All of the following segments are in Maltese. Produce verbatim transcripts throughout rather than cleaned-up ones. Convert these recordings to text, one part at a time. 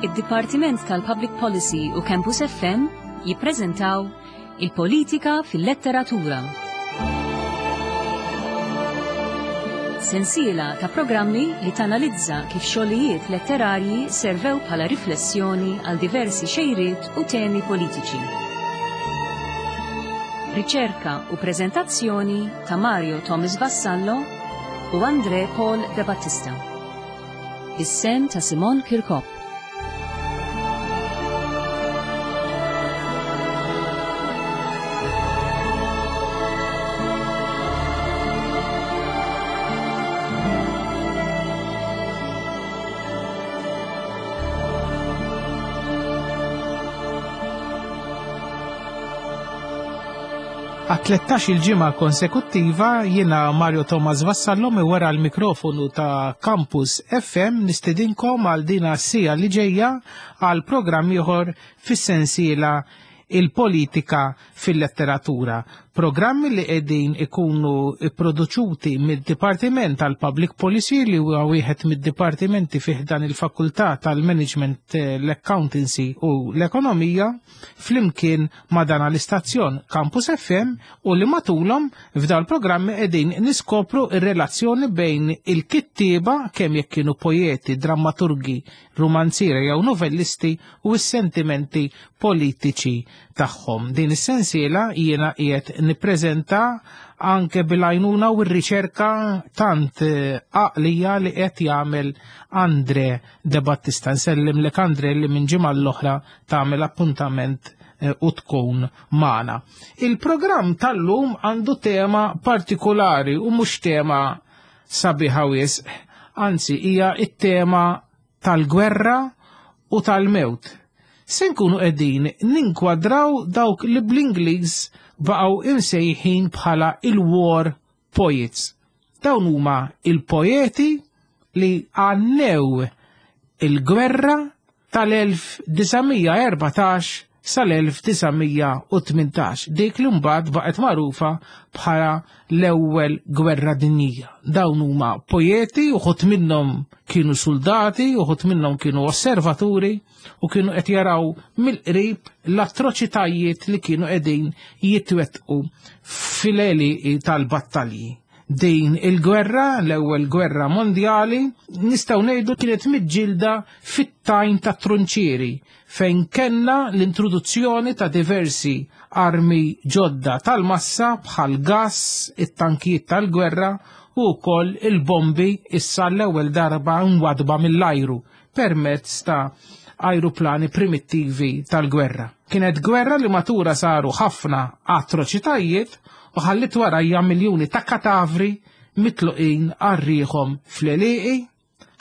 Id-Dipartiment tal-Public Policy u Campus F M jippreżentaw Il-Politika fil-Letteratura. Sensiela ta' programmi li tanalizza kif xogħlijiet letterarji servew bħala riflessjoni għal diversi xejriet u temi politiċi. Riċerka u preżentazzjoni ta' Mario Thomas Vassallo u Andre Paul De Battista. Is-sehem ta' Simon Kirkop. Għat-tlettax il-ġimgħa konsekuttiva, jiena Mario Thomas Vassallo mi wara l-mikrofonu ta' Campus F M nistedinkom għal dina s-siegħa li ġejja għal programm ieħor fis-sensiela Il-Politika fil-Letteratura. Programmi li qegħdin ikunu produċuti mid-Dipartiment tal-Public Policy, li huwa wieħed mid-dipartimenti fih dan il-Fakultà tal-Management, l-Accountancy u l-Ekonomija, flimkien ma' dan l-istazzjon Campus F M, u li matulhom f'dan il-programmi qegħdin niskopru ir-relazzjoni bejn il-kittieba, kemm jekk kienu poeti, drammaturgi, romanzieri jew novellisti, u s-sentimenti politiċi tagħhom. Din is-sensiela jiena qiegħed nippreżenta anke bil-għajnuna u r-riċerka tant eh, għaqlija li qed jagħmel Andre De Battista. Nsellim lek, Andre, li minn ġimgħa l-oħra tagħmel appuntament eh, u tkun magħna. Il-programm tal-lum għandu tema partikolari u mhux tema sabiħa wisq, anzi hija it-tema tal-gwerra u tal-mewt. Se nkunu qegħdin ninkwadraw dawk li bl-Ingliż baqgħu imsejħin bħala il-war poets. Dawn huma il-poeti li għannew il-gwerra tal-elf disa' mija erbatax sal-elf disa' mija u tmintax, dik li mbagħad baqgħet magħrufa bħala l-Ewwel Gwerra Dinjija. Dawn huma poeti, uħud minnhom kienu soldati, uħud minnhom kienu osservaturi u kienu qed jaraw mill-qrib l-atroċitajiet li kienu qegħdin jitwettqu fil-għelieqi tal-battalji. Din il-gwerra, l-Ewwel Gwerra Mondjali, nistgħu ngħidu kienet miġġielda fit-tajn ta' trunċieri, fejn kellna l-introduzzjoni ta' diversi armi ġodda tal-massa bħal gas, it-tankijiet tal-gwerra u wkoll il-bombi, issa l-ewwel darba mwadba mill-ajru permezz ta' ajruplani primittivi tal-gwerra. Kienet gwerra li matulha saru ħafna atroċitajiet u ħallit warajja miljuni ta' katavri mitluqin għal riħhom fl-għelieqi,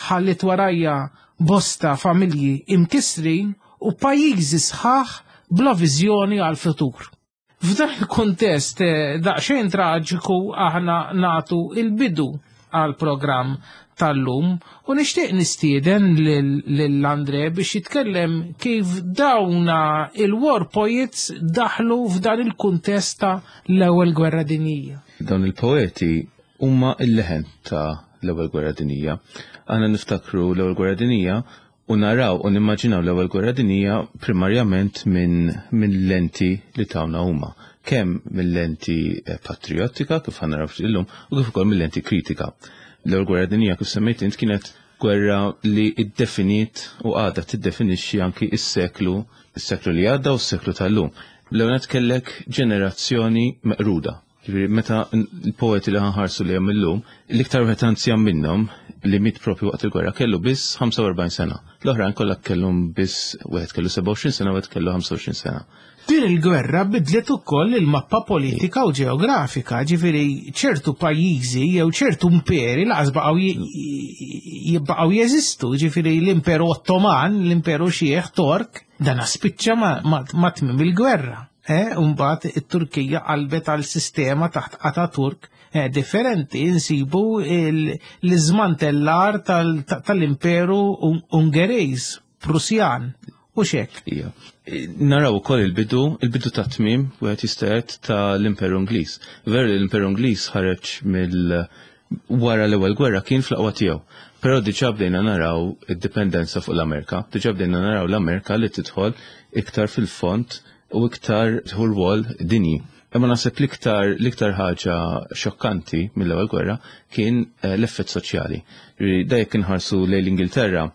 ħallit warajja bosta familji imkisrin u pajjiżi sħaħ bla viżjoni għal-futur. F'dan il-kontest eh, daqsxejn traġiku aħna nagħtu il-bidu għal programm tal-lum u nixtieq nistieden lil Andre biex jitkellem kif dawna il-war poets daħlu f'dan il-kuntest ta' l-Ewwel Gwerra Dinjija. Dawn il-poeti huma il-leħen ta' l-Ewwel Gwerra Dinjija. Aħna niftakru l-Ewwel Gwerra Dinjija u naraw u nimmaġinaw l-Ewwel Gwerra Dinjija primarjament minn min lenti li tawna huma. Kemm mill-lenti eh, patriottika, kif ħa naraw illum, u kif ukoll mill-lenti kritika. L-Ewwel Gwerra Dinjija, kif semmejt int, kienet gwerra li iddefinit u għadha tiddefinixxi anki is-seklu, is-seklu li għadda u s-seklu tal-lum. L-ewwel kellek ġenerazzjoni meqruda. Ġifieri meta l-poeti li ħa nħarsu li illum, l-iktar wieħed anzjan minnhom li miet propju waqt il-gwerra kellu biss ħamsa u erbgħin sena. L-oħrajn kollha kellhom biss, wieħed kellu sebgħa u għoxrin sena, wieħed kellu ħamsa u għoxrin sena. Din il-gwerra bidlet ukoll il-mappa politika u ġeografika, ġifieri ċertu pajjiżi jew ċertu imperi lanqas baqgħu jibqgħu jeżistu, ġifieri l-Imperu Ottoman, l-Imperu Xieħ Tork, dan spiċċa ma' tmiem il-gwerra. Eh, Umbagħad it-Turkija qalbet għal sistema taħt Ataturk eh, differenti, insibu l-iżmantellar tal-Imperu Ungerejż, Prusjan, u xek. Ija. Naraw ukoll il-bidu, il-bidu ta' tmiem, wieħed jista' jgħid, ta' l-Imperu Ingliż. Veru li l-Imperu Ingliż ħareġ mill Wara l-ewwel gwerra kien fl-aqwa tiegħu. Però diġà bdejna naraw id-dipendenza fuq l-Amerika, diġà bdejna naraw l-Amerika li tidħol iktar fil-fond u iktar tieħu rwol dinji. Imma naħseb l-iktar l-iktar ħaġa xokkanti mill-ewwel gwerra kien eh, l-effett soċjali. Da jekk inħarsu lejn l-Ingilterra,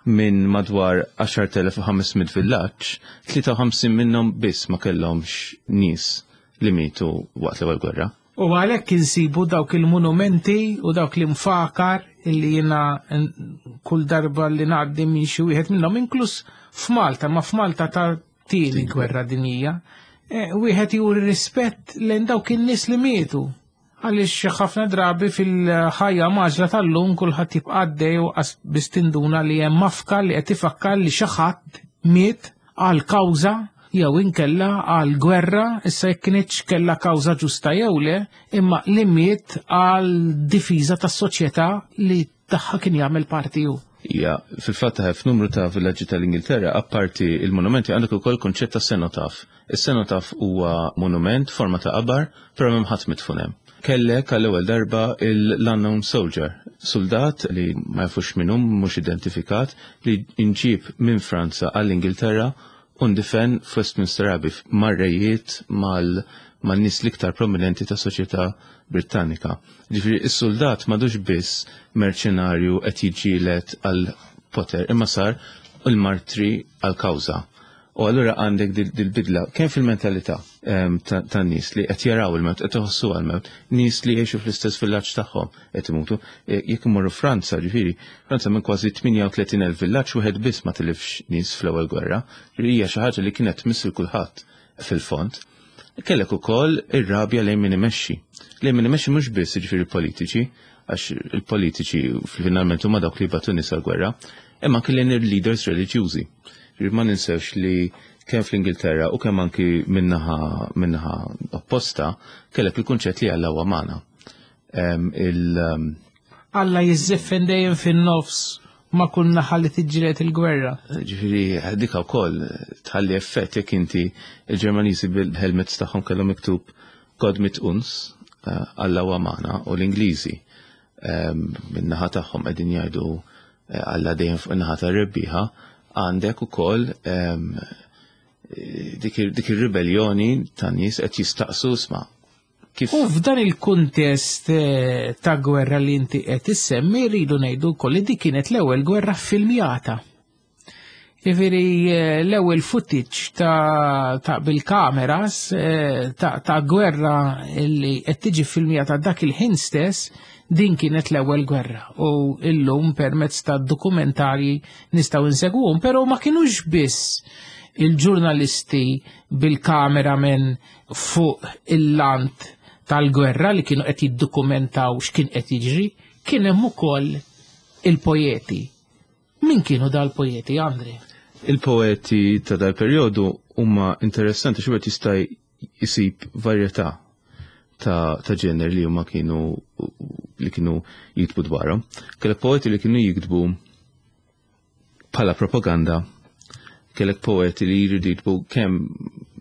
minn madwar għaxart elef u ħames mitt villaġġ, tlieta u ħamsin minnhom biss ma kellhomx nies li mietu waqt l-ewwel gwerra. U għalhekk insibu dawk il-monumenti u dawk l-imfakar illi jiena kull darba li ngħaddi minn xi wieħed minnhom, inkluż f'Malta, ma f'Malta ta' tieni gwerra dinjija, e, wieħed juri rispett lejn dawk in-nies li mietu. Għaliex ħafna drabi fil-ħajja mgħaġġla tal-lum kulħadd jibqa' għaddej u biss tinduna li hemm mafkar li qed ifakkar li xi ħadd miet għal kawża jew inkella għal gwerra, issa jekk kinitx kella kawża ġusta jew le, imma li miet għal difiża tas-soċjetà li tagħha kien jagħmel parti hu. Ja, fil-fatt f'numru ta' villaġġi tal-Ingilterra, apparti il-monumenti, għandek ukoll konċett ta' cenotaph. Is-cenotaph huwa monument forma ta' qabar, però m'hemm ħadd midfun hemm. Kellek għall-ewwel darba l-unknown soldier, soldat li ma jafux min hu, mhux identifikat, li inġib minn Franza għall-Ingilterra u ndifen f'Westminster Abbey mar-rejiet, mal man-nies l-iktar prominenti ta' soċjetà Britannika. Ġifieri is-soldat m'għadux biss merċenarju qed jiġġieled għal poter, imma sar il-martri għal kawża. U allura għandek dil-bidla kemm fil-mentalità tan-nies li qed jaraw il-mewt, qed iħossu għal-mewt, nies li jgħixu fl-istess villaġġ tagħhom qed imutu. E, jekk imorru Franza, ġifieri, Franza minn kważi tmienja u tletin elf villaġġ wieħed biss ma tilifx nies fl-ewwel gwerra. Hija xi ħaġa li kienet tmiss kulħadd fil-fond. Kellek ukoll ir-rabja lejn min imexxi. Lejn min imexxi mhux biss, jiġifieri, politiċi, għax il-politiċi finalment huma dawk li jibagħtu nies għall-gwerra, imma anke lejn il-leaders reliġjużi. Ma ninsewx li kemm fl-Ingilterra u kemm anki min-naħa min-naħa opposta kellek il-kunċett li Alla huwa magħna. Il Alla jiżżiffen dejjem fin-nofs ma' kull naħa li tiġġieled il-gwerra. Ġifieri dika wkoll tħalli effett jekk inti il-Ġermaniżi bil-helmets tagħhom kellhom miktub "Gott mit uns", eh, Alla huwa magħna, u l-Ingliżi min-naħa tagħhom qegħdin jgħidu eh, Alla dejjem fuq in-naħa tar-rebbieħa, għandek ukoll dik ir-ribellioni ta' nies qed jistaqsu sma' kif. U f'dan il-kuntest eh, ta' gwerra li inti qed issemmi, rridu ngħidu wkoll li dik kienet l-ewwel gwerra filmjata. Ġifieri eh, l-ewwel footage ta', ta bil-kameras eh, ta', ta' gwerra li qed tiġi filmjata dak il-ħin stess, din kienet l-ewwel gwerra. U illum permezz ta' dokumentarji nistgħu insegwuhom, però ma kinux biss il-ġurnalisti bil-kameramen fuq il-lant tal-gwerra li kienu qed jiddokumentaw x'kien qed jiġri, kien hemm ukoll il-poeti. Min kienu dal-poeti, Andri? Il-poeti ta' dal-perjodu huma interessanti xi jista' jisib varjetà ta', ta' ġener li huma kienu li kienu jiktbu dwarhom. Kellek poeti li kienu jiktbu bħala propaganda, kellek poeti li jridu jiktbu kemm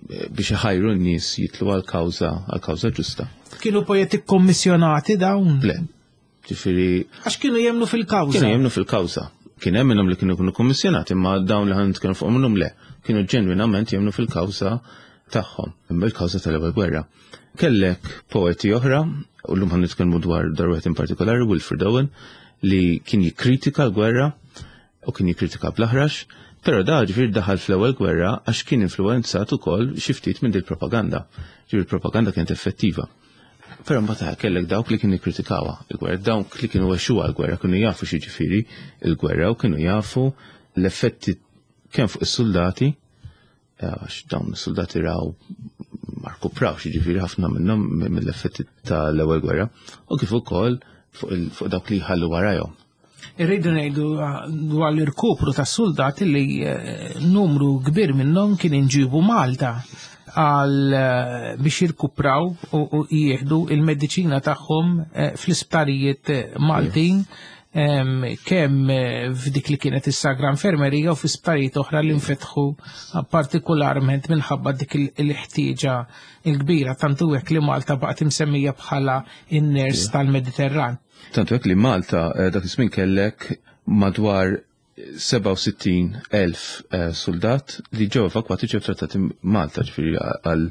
biex iħajru n-nies jitlu għal kawża għal kawża ġusta. Kienu poeti kommissjonati dawn? Le. Ġifieri Għax kienu jemnu fil-kawża. Kienu jemnu fil-kawża. Kien hemm minnhom li kienu kienu kommissjonati, imma dawn li ħan nitkellmu fuq minnhom le. Kienu ġenwinament jemnu fil-kawża tagħhom, il-kawża tal-ewwel gwerra. Kellek poeti oħra, u llum ħan nitkellmu dwar dar wieħed in partikolari, Wilfred Owen, li kien jikkritika l-gwerra u kien jikkritika bl-aħrax, però da ġifieri daħal fl-ewwel gwerra għax kien influenzat ukoll xi ftit minn dil-propaganda. Ġifieri il-propaganda kienet effettiva. Però mbagħad kellek dawk li kienu jikkritikawha il-gwerra, dawk li kienu għexuha l-gwerra, kienu jafu x'jiġifieri il-gwerra u kienu jafu l-effetti kemm fuq is-soldati, għax dawn is-soldati raw ma rkuprawx, jiġifieri ħafna minnhom mill-effetti tal-ewwel gwerra, u kif ukoll fuq dawk li jħallu warajhom. Irridu ngħidu dwar l-irkupru tas soldati li eh, numru kbir minnhom kien inġibu Malta għal eh, biex jirkupraw u jieħdu il-mediċina tagħhom eh, fl-isptarijiet Maltin. kemm f'dik li kienet is-Sagra Infermerija u fi sptarijiet oħra li nfetħu partikolarment minħabba dik il-ħtieġa il-kbira, tantu hekk li Malta baqgħet imsemmija bħala in-ners tal-Mediterran. Tantu hekk li Malta dak iż-żmien kellek madwar sebgħa u sittin elf soldat li ġew evakwati, ġew trattati Malta, ġifieri għal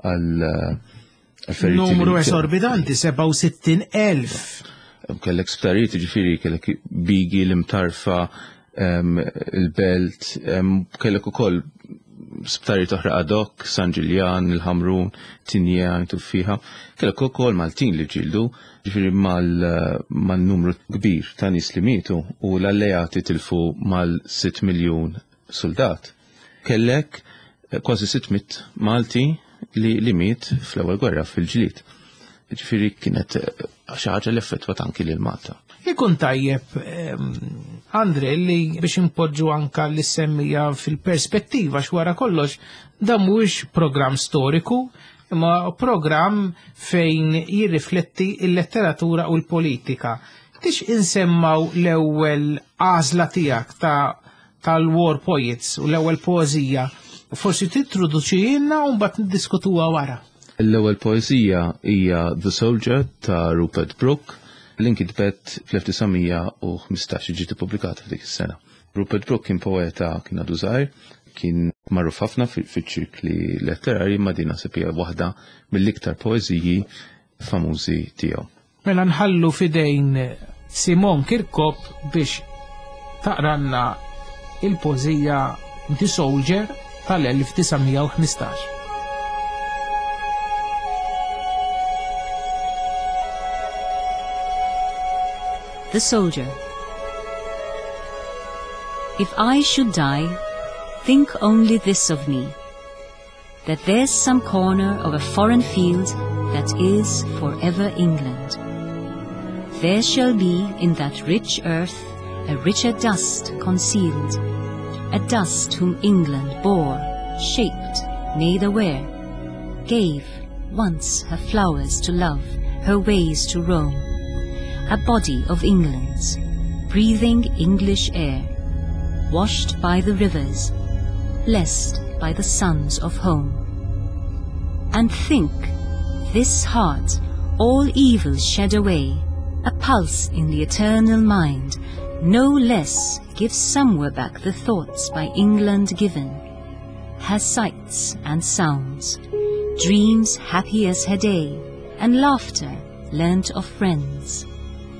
għal numru esorbitanti, sebgħa u sittin elf. Kellek sptarijiet, ġifieri kellek Bigi, l-Imtarfa, il-Belt, kellek ukoll sptarijiet oħra ad hoc, San Ġiljan, il-Ħamrun, Tinja, Tuffiħa. Kellek ukoll Maltin li ġildu, ġifieri mal-numru kbir ta' nies li mietu u l-alleati tilfu mal-sitt miljun soldat. Kellek kważi sitt mitt Malti li, li miet fl-ewwel gwerra fil-ġlied. Ġifieri kienet xi ħaġa li effettwat anki lil Malta. Ikun tajjeb, Andre, li biex impoġġu anka li semmija fil-perspettiva x'wara kollox dan mhuwiex programm storiku, imma programm fejn jirrifletti l-letteratura u l-politika. Tix insemmaw l-ewwel għażla tiegħek ta' tal-War Poets u l-ewwel poeżija, forsi tintroduċilna u mbagħad niddiskutuha wara. L-ewwel poeżija hija The Soldier ta' Rupert Brooke, li nkitbet fl-elf tisa' mija u ħmistax, ġiet ippubblikata f'dik is-sena. Rupert Brooke kien poeta, kien għadu żgħir, kien magħruf ħafna fiċ-ċirkli letterari, ma din naħseb hija waħda mill-iktar poeżiji famużi tiegħu. Mela nħallu fidejn Simon Kirkop biex taqranna il-poeżija The Soldier tal-elf tisa' mija u ħmistax. The Soldier. If I should die, think only this of me, that there's some corner of a foreign field that is forever England. There shall be in that rich earth a richer dust concealed, a dust whom England bore, shaped, made aware, gave once her flowers to love, her ways to roam, a body of England's, breathing English air, washed by the rivers, blessed by the sons of home. And think, this heart, all evil shed away, a pulse in the eternal mind, no less gives somewhere back the thoughts by England given, has sights and sounds, dreams happy as her day, and laughter learnt of friends,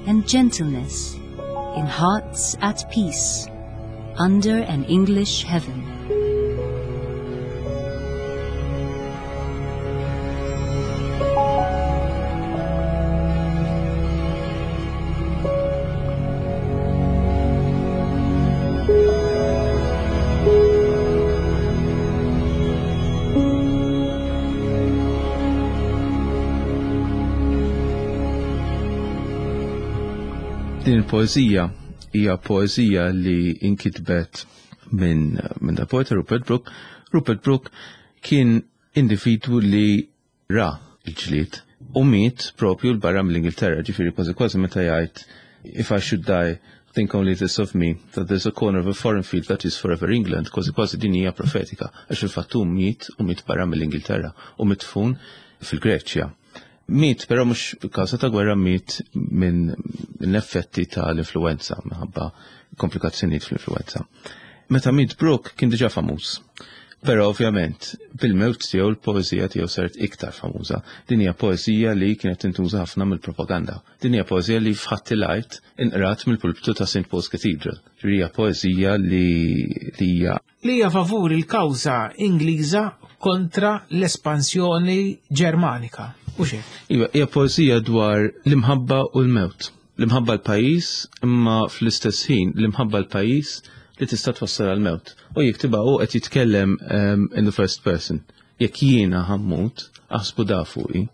and gentleness in hearts at peace under an English heaven. Din il-poeżija hija poeżija li inkitbet minn min da poeta Rupert Brooke. Rupert Brooke kien individwu li ra il-ġlied u miet propju l-barra mill-Ingilterra, ġifieri kważi kważi meta jgħid if I should die, think only this of me, that there's a corner of a foreign field that is forever England, kważi kważi din hija profetika, għax il-fatt hu miet u miet barra mill-Ingilterra u mitfun fil-Greċja. Miet, però mhux kawża ta' gwerra, miet minn effetti tal-influenza, minħabba komplikazzjonijiet fl-influenza. Meta miet Brooke kien diġà famuż. Però ovvjament bil-mewt tiegħu l-poeżija tiegħu saret iktar famuża. Din hija poeżija li kienet tintuża ħafna mill-propaganda. Din hija poeżija li f'Ħadd il-Għid inqrat mill-pulpitu ta' Saint Paul's Cathedral. Ġifieri hija poeżija li hija li hija favur il-kawża Ingliża kontra l-espansjoni Ġermanika. U xejn. Iva, hija poeżija dwar l-imħabba u l-mewt. L-imħabba l-pajjiż, imma fl-istess ħin l-imħabba l-pajjiż li tista' twassal għall-mewt. U jiktibha hu qed jitkellem um, in the first person. Jekk jiena ħammut, aħsbu da fuqi.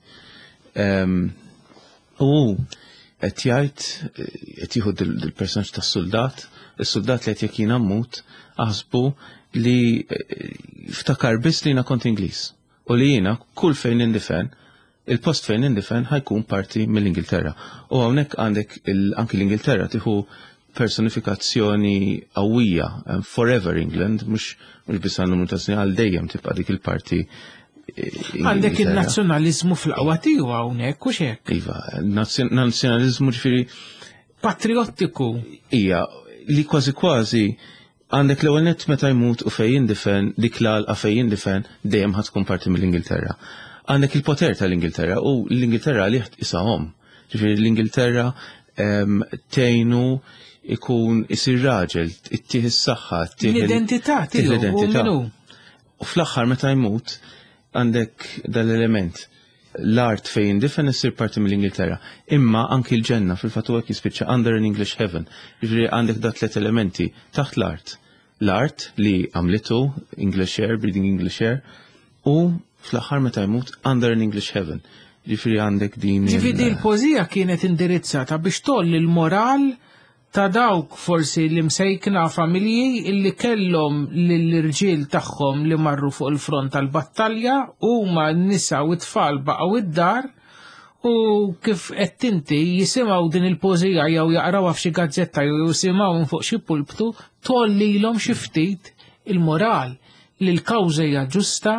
Um, u qed jgħid, qed jieħu dil-personaġġ tas-soldat, is-soldat li qed jekk jiena mmut, aħsbu li ftakar biss li jiena kont Ingliż. U li jiena kull fejn indifen Il-post fejn indifen ħa jkun parti mill-Ingilterra. U hawnhekk għandek anki l-Ingilterra tieħu personifikazzjoni qawwija, forever England, mhux mhux biss għal numru ta' snin, għal dejjem tibqa' dik il-parti. Għandek il-nazzjonalizmu fl-qawwa tiegħu hawnhekk, u hekk. Iva, nazzjonalizmu ġifieri patriottiku. Ija, li kważi kważi għandek l-ewwel nett meta jmut u fejn jindifen, dik l-għalqa fejn jindifen dejjem ħa tkun parti mill-Ingilterra. Għandek il-poter tal-Ingilterra u l-Ingilterra li isahom. Ġifieri l-Ingilterra tgħinu ikun isir raġel, ittih is-saħħa, ittih l-identità tiegħu. L-identità. U fl-aħħar meta jmut għandek dal-element. L-art fejn jindifen issir parti mill-Ingilterra. Imma anki l-ġenna fil-fatt huwa jispiċċa under an English heaven. Ġifieri għandek da tliet elementi taħt l-art. L-art li għamlitu English air, breathing English air, u fl-aħħar meta jmut under an English heaven. Ġifieri għandek din. Ġifieri l-poeżija kienet indirizzata biex tolli l-moral ta' dawk forsi li msejkna familji illi kellhom lill-irġiel tagħhom li marru fuq il-front tal-battalja, huma n-nisa u t-tfal baqgħu id-dar, u kif qed inti jisimgħu din il-poeżija jew jaqrawha f'xi gazzetta jew jisimgħu minn fuq xi pulptu, tollilhom xi ftit il-moral li l-kawża hija ġusta,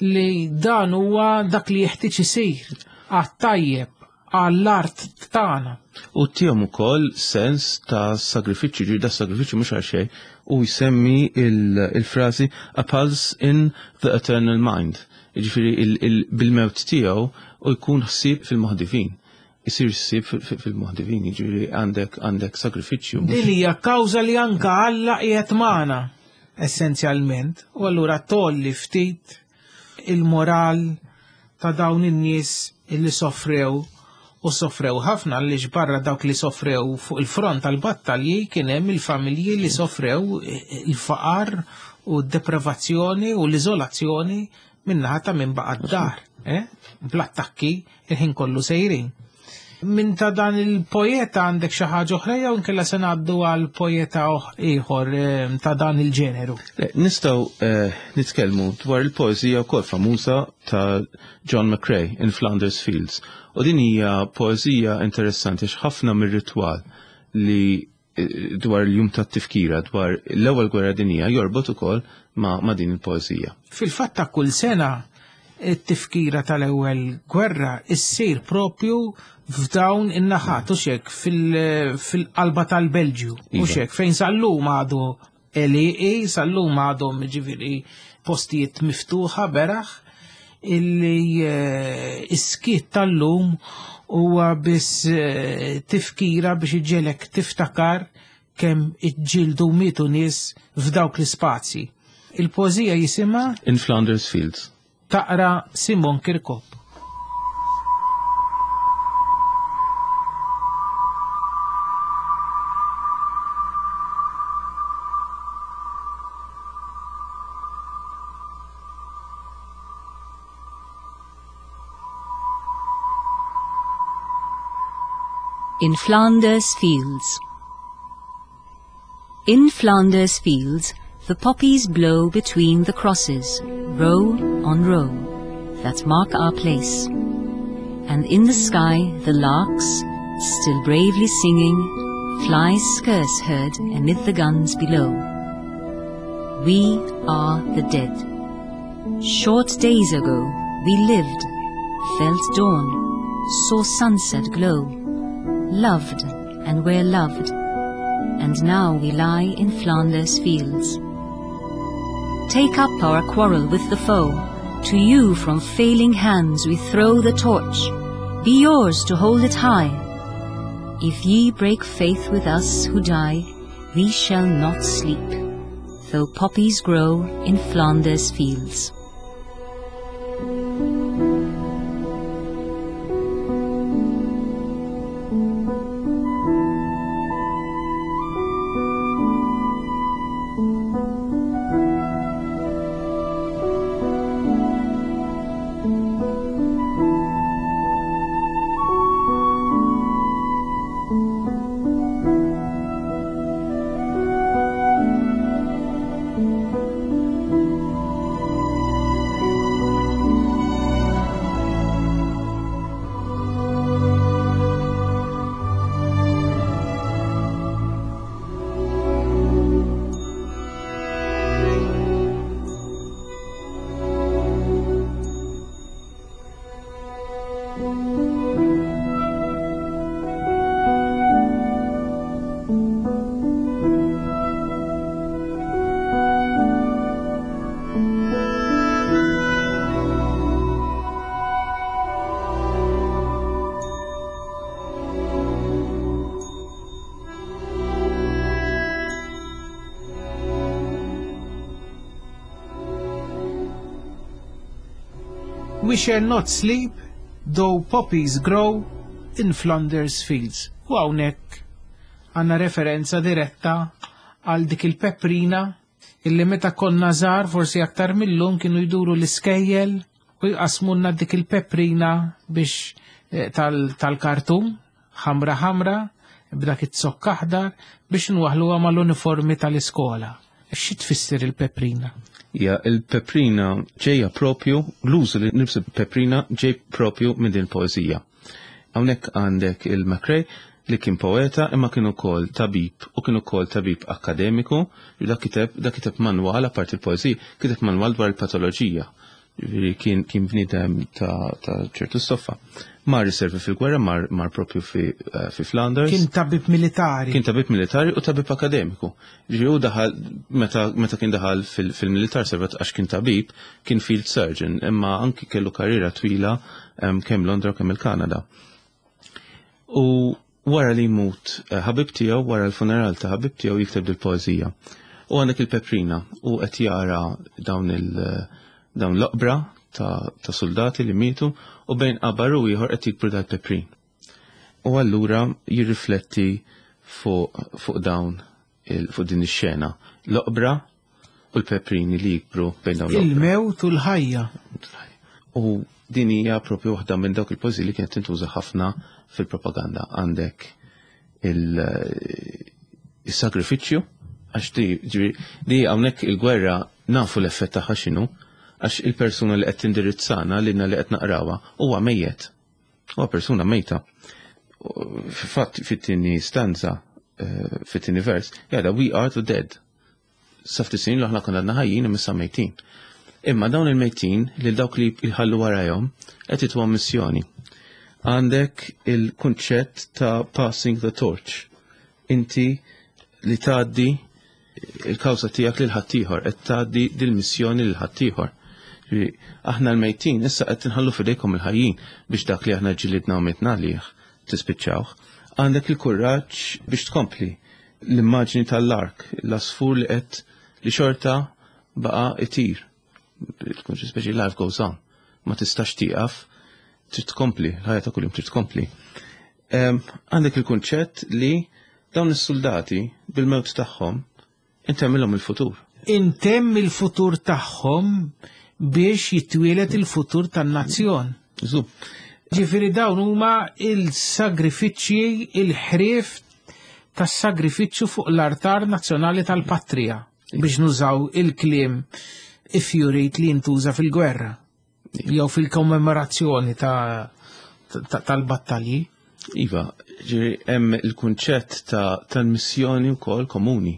li dan huwa dak li jeħtieġ isir għat-tajjeb għall-art tagħna. U tihom ukoll sens ta' sagrifiċċju, ġifieri da sagrifiċċju mhux għal xejn, u jsemmi il-frażi a pulse in the eternal mind. Ġifieri bil-mewt tiegħu u jkun ħsieb fil-moħħ divin. Isir ħsieb fil-moħħ divin, ġifieri għandek għandek sagrifiċċju. Din hija kawża li anke Alla qiegħed magħna essenzjalment, u allura tolli ftit il-moral ta' dawn in-nies illi soffrew, u soffrew ħafna, għaliex barra dawk li soffrew fuq il-front tal-battalji kien hemm il-familji li soffrew il-faqar u d-deprivazzjoni u l-iżolazzjoni min-naħa ta' min baqa' d-dar, eh? Bl-attakki il-ħin kollu sejrin. Min ta' dan il-poeta għandek xi ħaġa oħra jew inkella se ngħaddu għal poeta ieħor ta' dan il-ġeneru? Nistgħu nitkellmu dwar il-poeżija wkoll famuża ta' John McCrae in Flanders Fields. U din hija poeżija interessanti għax ħafna mir-ritwal li dwar il-jum tat-tifkira dwar l-ewwel gwerra dinjija jorbot ukoll ma', ma' din il-poeżija. Fil-fatt ta' kull sena it-tifkira tal-ewwel gwerra issir propju f'dawn in-naħat, u xek fil-qalba tal-Belġju, u xek fejn sal-lum għadu għelieqi, sal-lum għadhom ġifieri postijiet miftuħa beraħ, illi iskiet tal-lum huwa biss tifkira biex iġġelek tiftakar kemm iġġieldu mietu nies f'dawk l-ispazji. Il-poeżija jisimha In Flanders Fields. Taqra Simon Kirkop. In Flanders Fields. In Flanders Fields, the poppies blow between the crosses, row on row, that mark our place. And in the sky the larks, still bravely singing, fly scarce heard amid the guns below. We are the dead. Short days ago we lived, felt dawn, saw sunset glow, loved and were loved, and now we lie in Flanders fields. Take up our quarrel with the foe, to you from failing hands we throw the torch, be yours to hold it high. If ye break faith with us who die, we shall not sleep, though poppies grow in Flanders fields. We shall not sleep, though poppies grow in Flanders fields. U hawnhekk għandna referenza diretta għal dik il-peprina illi meta konna żgħar, forsi aktar millum, kienu jduru l-iskejjel u jqasmunna dik il-peprina biex eh, tal-kartun, ħamra ħamra, b'dak it-zokk aħdar biex nwaħluha mal-uniformi tal-iskola. Xi tfisser il-peprina? Ja, il-peprina ġejja propju, l-użu li nilbsu peprina ġej propju minn din poezija. Hawnhekk għandek il-McCrae li kien poeta imma kien ukoll tabib u kien ukoll tabib akademiku, dak kiteb dak kiteb manwal, apparti il-poezija, kiteb manwal dwar il-patoloġija. Ġifieri kien kien bniedem ta', ta ċertu stoffa. Mar iservi fil-gwerra, mar, mar propju fi, uh, fi Flanders. Kien tabib militari. Kien tabib militari u tabib akademiku. Ġifieri u daħal, meta, meta kien daħal fil-militar servet għax kien tabib, kien field surgeon, imma anki kellu karriera twila um, kemm Londra u kemm il-Kanada. U wara li jmut eh, ħabib tiegħu, wara l-funeral ta' ħabib tiegħu, jikteb dil-poeżija. U għandek il-peprina u qed jara dawn il- dawn l-oqbra ta', ta soldati li mietu u bejn qabar u ieħor qed jikbru dal-peprin. U allura jirrifletti fuq fuq dawn fuq din ix-xena. L-oqbra u l-peprini li jikbru bejn dawn l-oqbra. Il-mewt u l-ħajja. U din hija propju waħda minn dawk il-poeżiji li kienet tintuża ħafna fil-propaganda. Għandek il-sagrifiċċju, għax di, di hawnhekk il-gwerra nafu l-effett tagħha x'inhu, għax il-persuna li qed tindirizzana lilna li qed naqrawha huwa mejjet. Huwa persuna mejta. Fatt fit-tieni stanza, eh, fit-tieni vers, jgħada "We are the dead". Sa ftit snin aħna konna għadna ħajjin imma issa mejtin. Imma dawn il-mejtin li dawk li jħallu warajhom qed jituhom missjoni. Għandek il-kunċett ta' passing the torch. Inti li tgħaddi il-kawża tiegħek lil ħaddieħor, qed tgħaddi dil-missjoni lil ħaddieħor. Aħna l-mejtin issa qed inħallu f'idejkom il-ħajjin biex dak li aħna ġilidna u mitna għalih tispiċċawh. Għandek il-kuraġġ biex tkompli l-immaġni tal-lark, l-asfur li qed li xorta baqa itir. Tkun xi speċi life goes on. Ma tistax tieqaf, trid tkompli, l-ħajja ta' kuljum trid tkompli. Għandek il-kunċett li dawn is-soldati bil-mewt tagħhom intemmilhom il-futur. Intemm il-futur tagħhom biex jitwielet il-futur tan-nazzjon. Żu. Ġifieri dawn huma il-sagrifiċċji, il-ħrief tas-sagrifiċċju fuq l-artar nazzjonali tal-patrija, biex nużaw il-kliem ifjurit li jintuża fil-gwerra jew fil-kommemorazzjoni tal-battalji. Iva, ġifieri hemm il-kunċett ta' tal-missjoni wkoll komuni.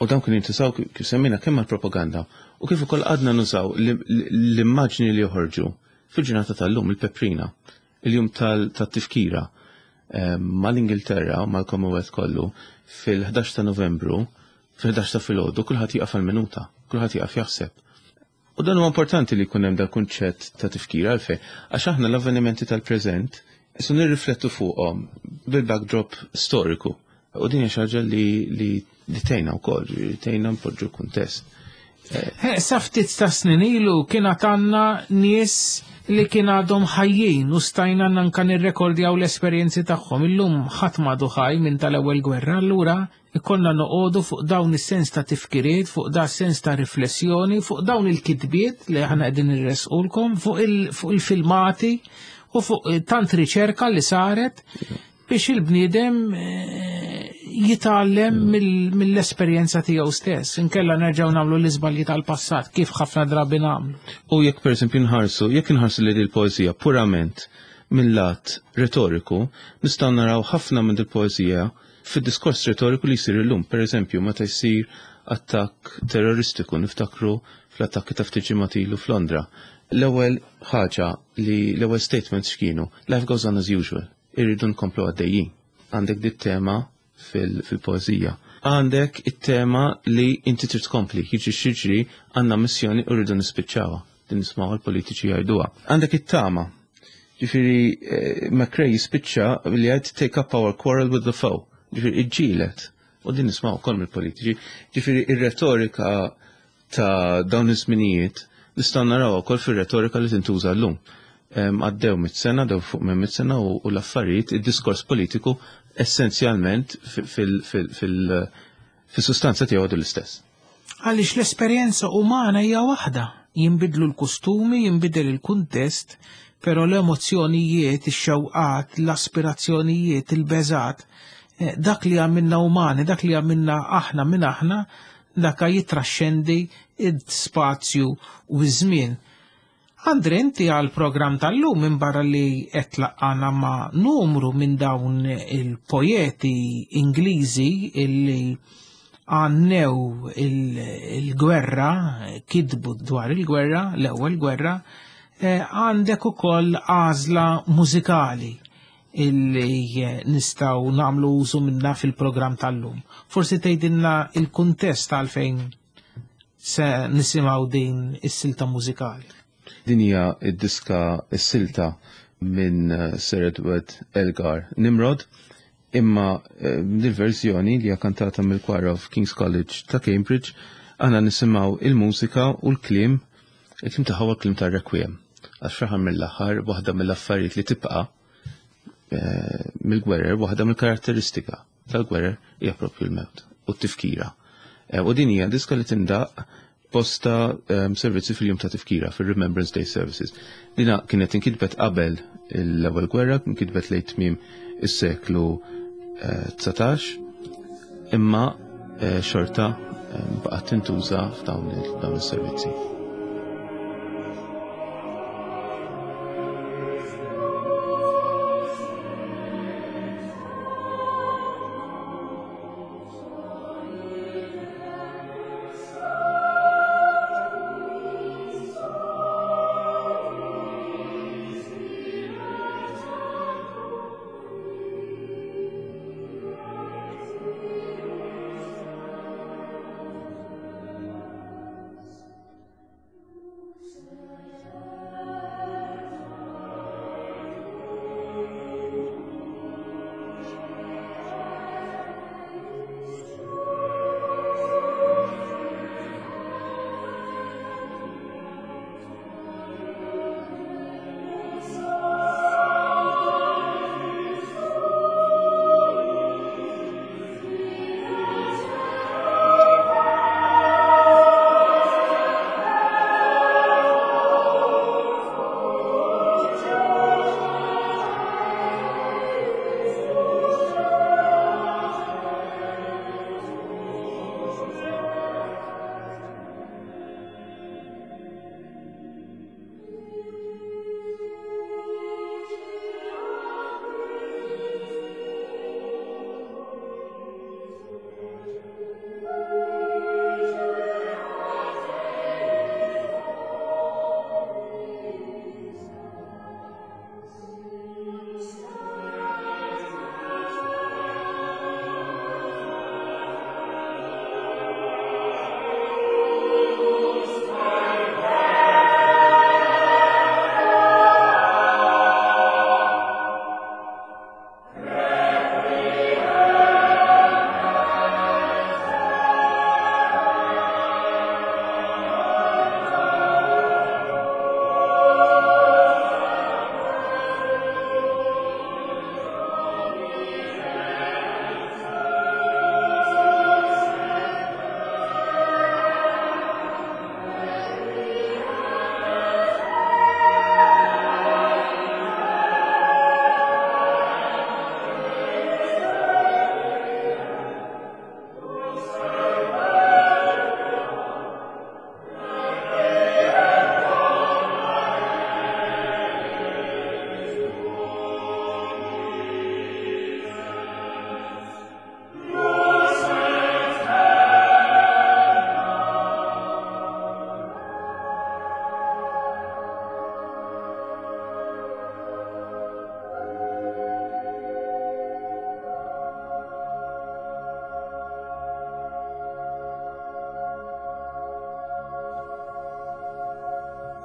U dawn kien jintużaw kif semmejna kemm għall-propaganda u kif ukoll għadna nużaw l-immaġni li joħorġu fil-ġurnata tal-lum, il-peprina, il-jum tal-tifkira eh, mal-Ingilterra u mal-Commonwealth kollu fil-ħdax ta' Novembru, fil-ħdax ta' filgħodu, kulħadd jieqaf għal-minuta, kulħadd jieqaf jaħseb. U dan huwa importanti li jkun hemm dal kunċett ta' tifkira. Għalfejn? Għax aħna l-avvenimenti tal-preżent Isu nirriflettu fuqhom bil-backdrop storiku. U din hija xi ħaġa li li li tgħinna wkoll, li tgħinna npoġġu kuntest. Sa ftit ta' snin ilu kien għandna nies li kien għadhom ħajjin u stajna anka nirrekordjaw l-esperjenzi tagħhom. Illum ħadd m'għadu ħaj minn tal-ewwel gwerra, allura ikollna noqogħdu fuq dawn is-sens ta' tifkiriet, fuq da sens ta' riflessjoni, fuq dawn il-kitbiet li aħna qegħdin irresqulkom, fuq il-filmati u fuq tant riċerka li saret biex il-bniedem eh, jitgħallem mill-esperjenza tiegħu stess. Inkella nerġgħu nagħmlu l-iżbalji tal-passat kif ħafna drabi nagħmlu. U jekk pereżempju nħarsu, jekk nħarsu li l-poeżija purament mill-lat retoriku, nistgħu naraw ħafna minn il-poeżija fid-diskors retoriku li jsir illum. Per eżempju, meta jsir attakk terroristiku, niftakru fl-attakki ta' ftit ġimgħat ilu f'Londra. L-ewwel ħaġa li l-ewwel statements x'kienu? "Life goes on as usual." Irridu nkomplu għaddejjin. Għandek dit tema fil-poeżija. Għandek it-tema li inti trid tkompli, jiġri x'jiġri, għandna missjoni u rridu nispiċċawha. Din nismgħu l-politiċi jgħiduha. Għandek it-tama. Ġifieri eh, McRae jispiċċa li jgħid "Take up our quarrel with the foe". Ġifieri iġġielet. U din nismgħu wkoll mill-politiċi. Ġifieri ir-retorika ta' dawn iż-żminijiet Nistgħu naraw ukoll fir-retorika li tintuża llum. Għaddew mit sena, dew fuq minn mit sena u l-affarijiet, id-diskors politiku essenzjalment fil-sustanza tiegħu għadu l-istess. Għaliex l-esperjenza umana hija waħda, jinbidlu l-kostumi, jinbidel il-kuntest, però l-emozzjonijiet, ix-xewqat, l-aspirazzjonijiet, il-beżat, dak li għamilna umani, dak li għamilna aħna minn aħna, dak jitraxxendi id-spazju u ż-żmien. Andre, inti għal-programm tal-lum minn barra li qed tlaqqana ma' numru minn dawn il-poeti Ingliżi illi għannew il-gwerra, kitbu dwar il-gwerra, l-ewwel gwerra, għandek ukoll għażla mużikali illi nistgħu nagħmlu użu minna fil-programm tal-lum. Forsi tgħidilna il-kuntest għalfejn se nisimgħu din is-silta mużikali. Din hija d-diska s-silta minn Sir Edward Elgar Nimrod, imma dil-verżjoni li hija kantata mill-Choir of King's College ta' Cambridge, aħna nisimgħu il-mużika u l-kliem, il-kliem tagħha huwa kliem tar-Requiem. Għax fl-aħħar mill-aħħar waħda mill-affarijiet li tibqa' mill-gwerer, waħda mill-karatteristika tal-gwerer hija proprju l-mewt u t-tifkira. U din hija diska li tindaq posta um, servizzi fil-jum ta' tifkira, fil-Remembrance Day Services. Dina kienet inkitbet qabel l-ewwel gwerra, inkitbet lejn tmiem is-seklu dsatax, imma eh, xorta eh, baqgħet tintuża f'dawn is-servizzi.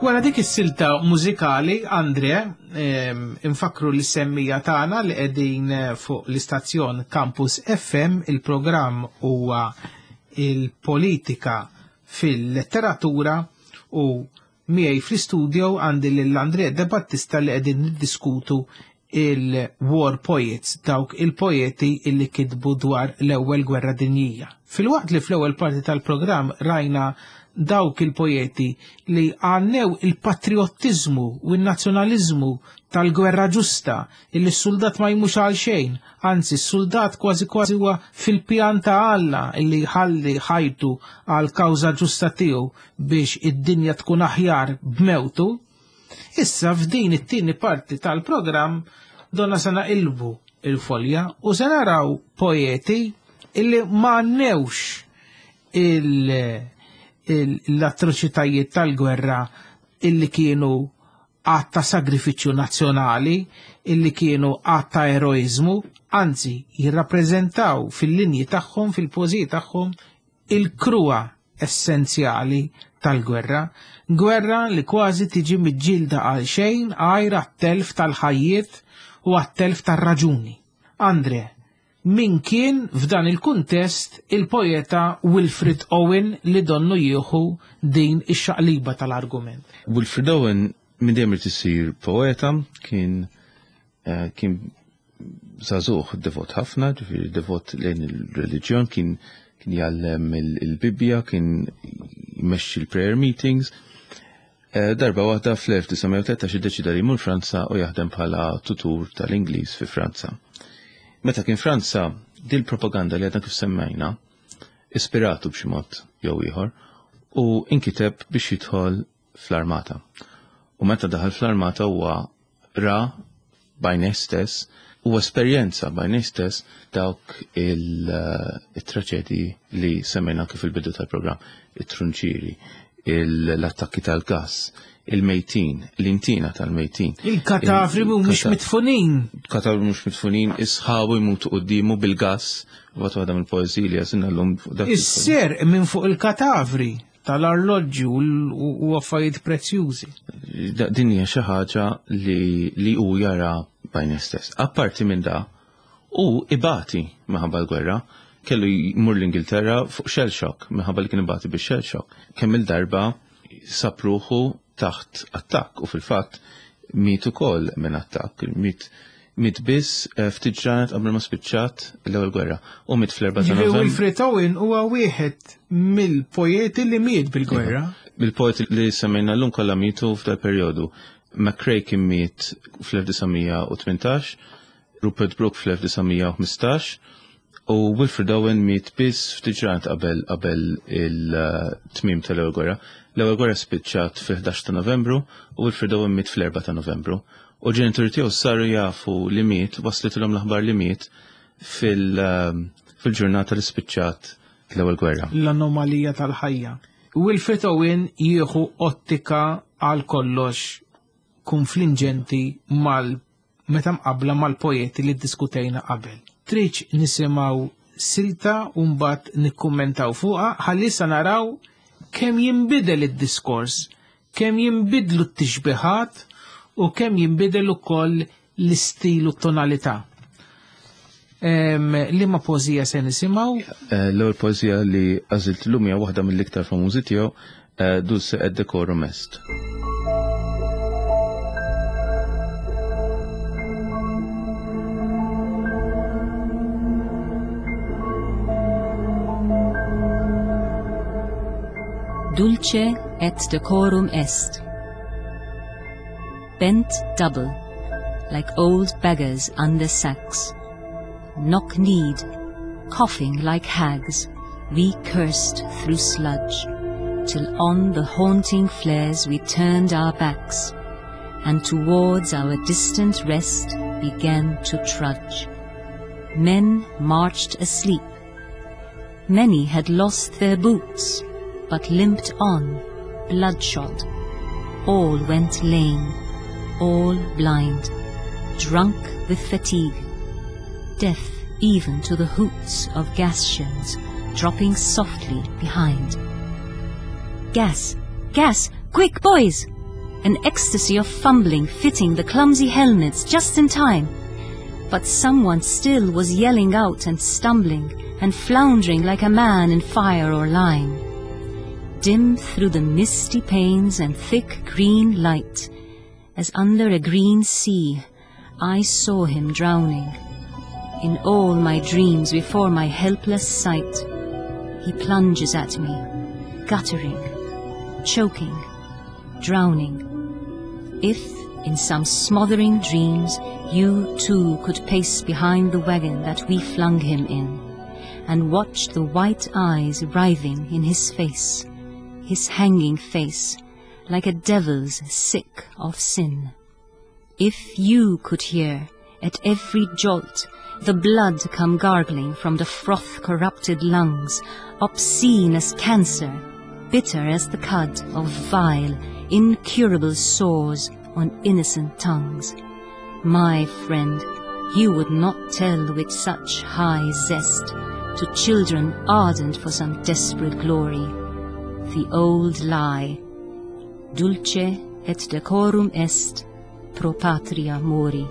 Wara dik is-silta mużikali, Andre, infakru l-semmija tagħna li qegħdin fuq l-istazzjon Campus F M, il-programm huwa il-politika fil-letteratura u Miegħi fl-istudio għandi lil Andrea De Battista li qegħdin niddiskutu il-war poets, dawk il-poeti illi kitbu dwar l-ewwel gwerra dinjija. Filwaqt li fl-ewwel parti tal-programm rajna dawk il-poeti li għannew il-patriottiżmu u n-nazzjonaliżmu tal-gwerra ġusta, illi s-soldat ma jmux għal xejn, anzi s-soldat kważi kważi huwa fil-pjan ta' Alla illi jħalli ħajtu għal kawża ġusta tiegħu biex id-dinja tkun aħjar b'mewtu. Issa f'din it-tieni parti tal-programm donna se naqilbu il-folja u se naraw poeti illi ma għannewx l-atroċitajiet tal-gwerra illi kienu għatta sagrifiċċju nazzjonali, illi kienu għatta eroizmu, anzi jirrappreżentaw fil-linji tagħhom, fil-poeżiji tagħhom, il-kruha essenzjali tal-gwerra, gwerra li kważi tiġi miġġielda għal xejn għajr għat-telf tal-ħajjiet u għat-telf tar-raġuni. Andre, min kien f'dan il-kuntest il-poeta Wilfred Owen li donnu jieħu din ix-xaqliba tal-argument? Wilfred Owen minn dejjem irid isir poeta, kien eh, kien żagħżugħ devot ħafna, ġifieri devot lejn il-reliġjon, kien kien jgħallem il-Bibbja, kien jmexxi l-prayer meetings. Eh, darba waħda fl-elf disa' mija u tlettax iddeċida li jmur Franza u jaħdem bħala tutur tal-Ingliż fi Franza. Meta kien Franza, dil propaganda li għadna kif semmejna, ispiratu b'xi mod jew ieħor u inkiteb biex jidħol fl-armata. U meta daħal fl-armata huwa ra b'għajnejh stess u esperjenza b'għajnejh stess dawk il-traċedji li semmejna kif il-bidu tal-programm, it-trunċieri, l-attakki tal-gas, il-mejtin, l-intina tal-mejtin. Il-katavri mhumiex Il-kata- mitfunin. Katavri mhux mitfunin, isħabu jmutu quddiemu bil-gas, waqt waħda mill-poeżiji li għażilna llum fuq dak il- Is-ser minn fuq il-katavri tal-arloġġi u l-, u affarijiet prezzjużi. Da-, din hija xi ħaġa li, li hu jara b'għajnejh stess. Apparti minn da, hu ibati minħabba l-gwerra, kellu jmur l-Ingilterra fuq shell shock, minħabba li kien ibati bix shell shock. Kemm il-darba sab ruħu taħt attakk u fil-fatt miet ukoll minn attakk, miet, miet biss, eh, ftit ġranet qabel ma spiċċat l-ewwel gwerra u miet fl-erba' ta' Ġifieri Novembru. Wilfred Owen huwa wieħed mill-poeti li miet bil-gwerra. Mill-poeti li semmejna llum kollha mietu f'dal perjodu. McCrae kien miet fl-elf disa' mija u tmintax, Rupert Brooke fl-elf disa' mija u ħmistax, u Wilfred Owen miet biss ftit ġranet qabel, qabel il-tmiem tal-ewwel gwerra. L-ewwel gwerra spiċċat fil-ħdax ta' Novembru u Wilfred Owen miet fl-erba' ta' Novembru. U ġenituri tiegħu saru jafu li miet, waslitilhom l-aħbar li miet fil-, fil-ġurnata li spiċċat l-ewwel gwerra. L-anomalija tal-ħajja. Wilfred Owen jieħu ottika għal kollox konfliġġenti mal meta mqabbla mal-poeti li ddiskutejna qabel. Triċ nisimgħu silta u mbagħad nikkummentaw fuqha ħalli sa naraw kemm jinbidel id-diskors, kemm jinbidlu t-tixbihat u kemm jinbidel ukoll l-istil u t-tonalità. Em, liema poeżija se nisimgħu? Eh, l-ewwel poeżija li għażilt llum hija waħda mill-iktar famużi tiegħu, eh, Dulce et Decorum Est. Dulce et decorum est. Bent double, like old beggars under sacks, knock-kneed, coughing like hags, we cursed through sludge, till on the haunting flares we turned our backs, and towards our distant rest began to trudge. Men marched asleep. Many had lost their boots, but limped on, bloodshot. All went lame, all blind, drunk with fatigue, deaf even to the hoots of gas shells dropping softly behind. Gas, gas, quick boys! An ecstasy of fumbling, fitting the clumsy helmets just in time. But someone still was yelling out and stumbling and floundering like a man in fire or lime. Dim through the misty panes and thick green light, as under a green sea, I saw him drowning. In all my dreams before my helpless sight, he plunges at me, guttering, choking, drowning. If, in some smothering dreams, you too could pace behind the wagon that we flung him in, and watch the white eyes writhing in his face, his hanging face, like a devil's sick of sin. If you could hear, at every jolt, the blood come gargling from the froth-corrupted lungs, obscene as cancer, bitter as the cud of vile, incurable sores on innocent tongues. My friend, you would not tell with such high zest to children ardent for some desperate glory, the old lie, dulce et decorum est pro patria mori.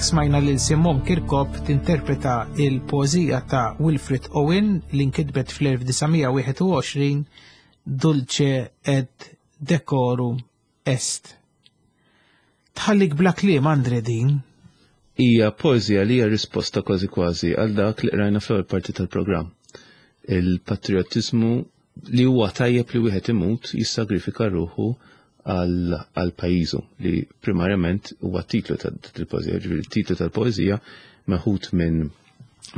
Smajna lil Simon Kirkop tinterpreta il-poeżija ta' Wilfred Owen li nkitbet fl-elf disa' mija wieħed u għoxrin Dulce et Decorum Est. Tħallik bla kliem, Andre, din? Hija poeżija li hija risposta kważi kważi għal dak li qrajna fl-ewwel parti tal-programm. Il-patriotizmu li huwa tajjeb li wieħed imut jissagrifika ruħu għal pajjiżu, li primarjament huwa titlu tal-poeżija, ġifieri titlu tal-poeżija meħud minn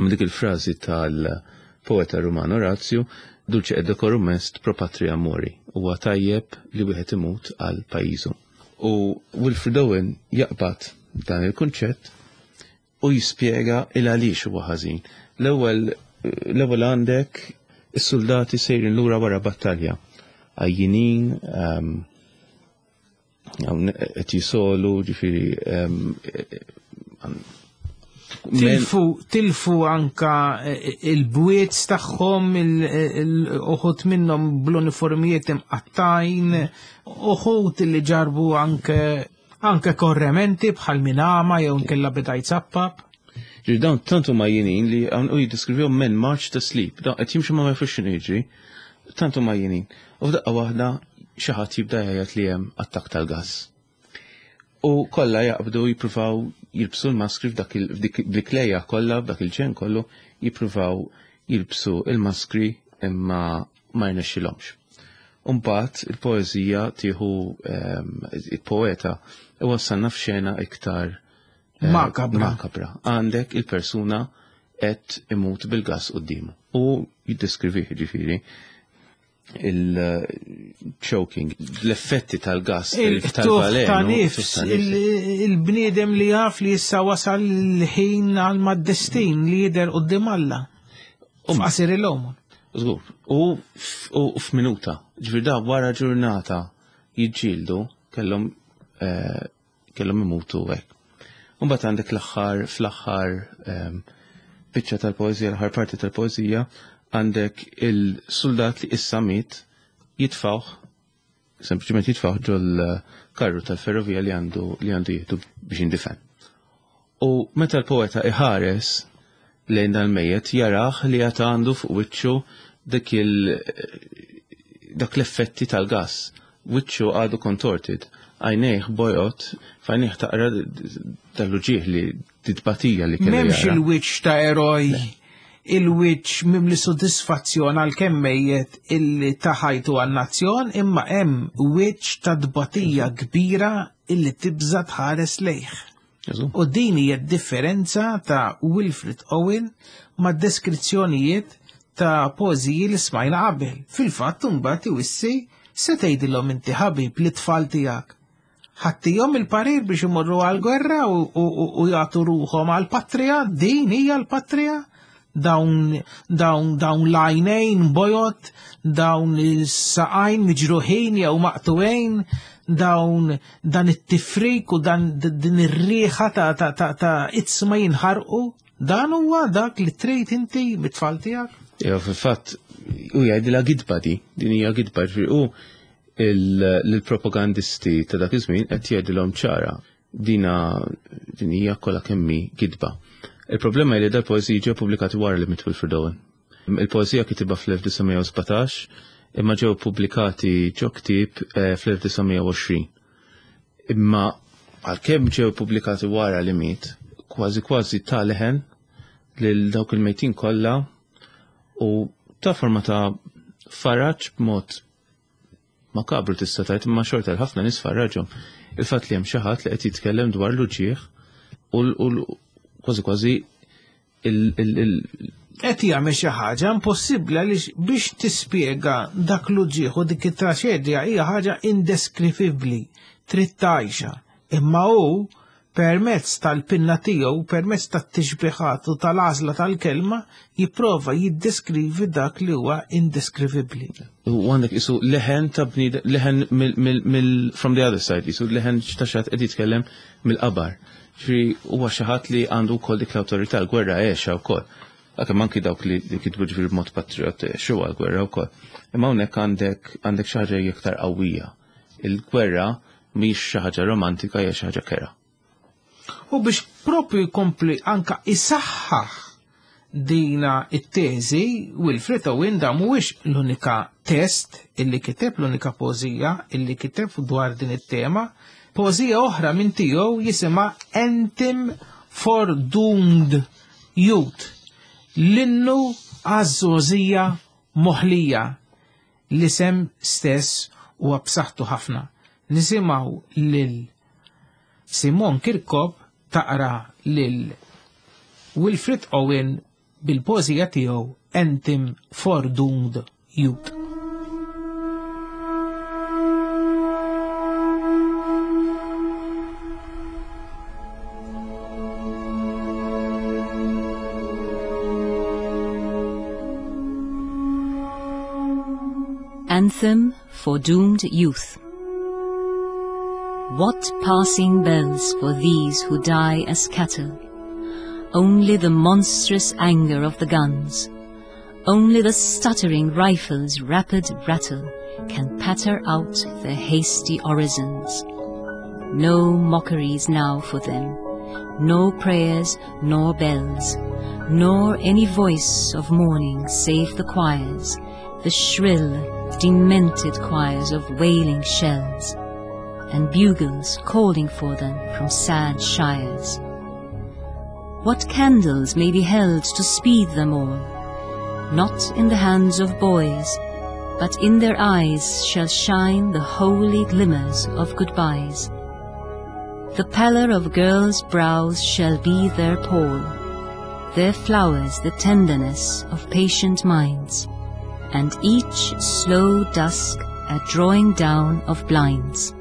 dik il-frażi tal-poeta Ruman Orazio, dulce et decorum est pro patria mori, huwa tajjeb li wieħed imut għal pajjiżu. U Wilfred Owen jaqbad dan il-kunċett u jispjega il għaliex huwa ħażin. L-ewwel l-ewwel għandek is-soldati sejrin lura wara battalja, għajjinin, qed jisolu, ġifieri tilfu tilfu anka il-bwiet tagħhom, uħud minnhom bl-uniformijiet imqattajn, uħud li ġarbu anke anke korrementi bħal minama jew nkella beda jzappap. Ġifieri dawn tant huma jinin li u jiddeskrivihom men march to sleep, dawn qed jimxu ma jafux x'inhu jiġri, tant huma jinin. U f'daqqa waħda xi ħadd jibda jgħid li hemm attakk tal-gass. U kollha jaqbdu jippruvaw jilbsu l-maskri f'dak il-klejja kollha, f'dak il-ġen kollu, jippruvaw jilbsu l-maskri imma ma jnexxilhomx. U mbagħad il-poeżija tieħu il-poeta iwassalna f'xena iktar makabra. makabra. Għandek il-persuna qed imut bil-gass quddiemu. U jiddeskrivih ġifieri il-choking, l-effetti tal-gas, tal-velenu, il-bniedem li jaf li issa wasal l-ħin għal mad-destin li jidher quddiem Alla. F'qasir il-għomor. Żgur. U f'minuta, ġifieri da wara ġurnata jiġġieldu kellhom kellhom imutu hekk. U mbagħad għandek l-aħħar fl-aħħar biċċa tal-poeżija, l-aħħar parti tal-poeżija, għandek il-soldat li issa miet jitfawh, sempliċement jitfawh ġol karru tal-ferrovija li għandu li għandu jieħdu biex jindifen. U meta l-poeta iħares lejn dal-mejjet jarah li għad għandu fuq wiċċu dak il dak l-effetti tal-gas. Wiċċu għadu contorted, għajnejh bojot, f'għajnejh taqra tal-uġieħ li titbatija li kellu. M'hemmx il-wiċċ ta' eroj, il-wiċċ mimli sodisfazzjon għal kemm mejjet illi taħajtu għan-nazzjon, imma hemm wiċċ ta' tbatija kbira illi tibża tħares lejh. U din hija d-differenza ta' Wilfred Owen ma' deskrizzjonijiet ta' poeżiji li smajna qabel. Fil-fatt imbagħad iwissi se tgħidilhom inti ħabib lit-tfal tiegħek. Ħattihom il-parir biex imorru għal-gwerra u jagħtu ruħhom għall-patrija, din hija l-patrija, dawn dawn dawn l-għajnejn bojod, dawn is-saqajn miġruħin jew maqtuwejn, dawn dan it-tifrik u dan din ir-riħa ta' ta' ta' ta' itzma jinħarqu, dan huwa dak li trid inti mit-tfal tiegħek. Jew fil-fatt u jgħidilha gidba di, din hija gidba ġifieri u l-propagandisti ta' dak iż-żmien qed jgħidilhom ċara dina din hija kollha kemm hi gidba. Il-problema hi li dal-poeżiji ġew pubblikati wara li miet Wilfred Owen. Il-poeżija kitibha fl-elf disa' mija u sbatax imma ġew pubblikati ġo ktieb fl-elf disa' mija u għoxrin. Imma għalkemm ġew pubblikati wara li miet, kważi kważi ta' leħen lil dawk il-mejtin kollha u ta' forma ta' faraġ b'mod makabru tista' tgħid, imma xorta l-ħafna nies farraġhom. Il-fatt li hemm xi ħadd li qed jitkellem dwar l-uġigħ u l-, kważi kważi il-, il-, il- Qed jagħmel xi ħaġa impossibbli għaliex biex tispjega dak l-uġigħ u dik it-traċedja hija ħaġa indeskrivibbli, trid tgħixha. Imma hu permezz tal-pinna tiegħu, permezz tat-tixbiħat u tal-għażla tal-kelma, jipprova jiddeskrivi dak li huwa indeskrivibbli. U għandek isu leħen ta' bniedem, leħen mill, mill, mill, from the other side, isu leħen ta' xi ħadd qed jitkellem mill-qabar. Ġifieri huwa xi ħadd li għandu wkoll dik l-awtorità, l-gwerra għexha wkoll. Għalkemm anki dawk li, li kitbu ġifieri b'mod patriot għexu għall-gwerra wkoll. Imma hawnhekk għandek, għandek xi ħaġa iktar qawwija. Il-gwerra mhix xi ħaġa romantika, hija xi ħaġa kera. U biex propju jkompli anka isaħħaħ dina it-teżi, Wilfred Owen da mhuwiex l-unika test illi kiteb, l-unika poeżija illi kiteb dwar din it-tema. Poeżija oħra minn tiegħu jisimha Anthem for Doomed Youth, l-innu għaż-żgħożija moħlija. L-isem stess huwa b'saħħtu ħafna. Nisimgħu lil Simon Kirkop taqra lil Wilfred Owen bil-poeżija tiegħu Anthem for Doomed Youth. Anthem for Doomed Youth. What passing bells for these who die as cattle? Only the monstrous anger of the guns, only the stuttering rifles' rapid rattle can patter out their hasty orisons. No mockeries now for them, no prayers nor bells, nor any voice of mourning save the choirs, the shrill, demented choirs of wailing shells, and bugles calling for them from sad shires. What candles may be held to speed them all? Not in the hands of boys, but in their eyes shall shine the holy glimmers of goodbyes. The pallor of girls' brows shall be their pall, their flowers the tenderness of patient minds, and each slow dusk a drawing down of blinds.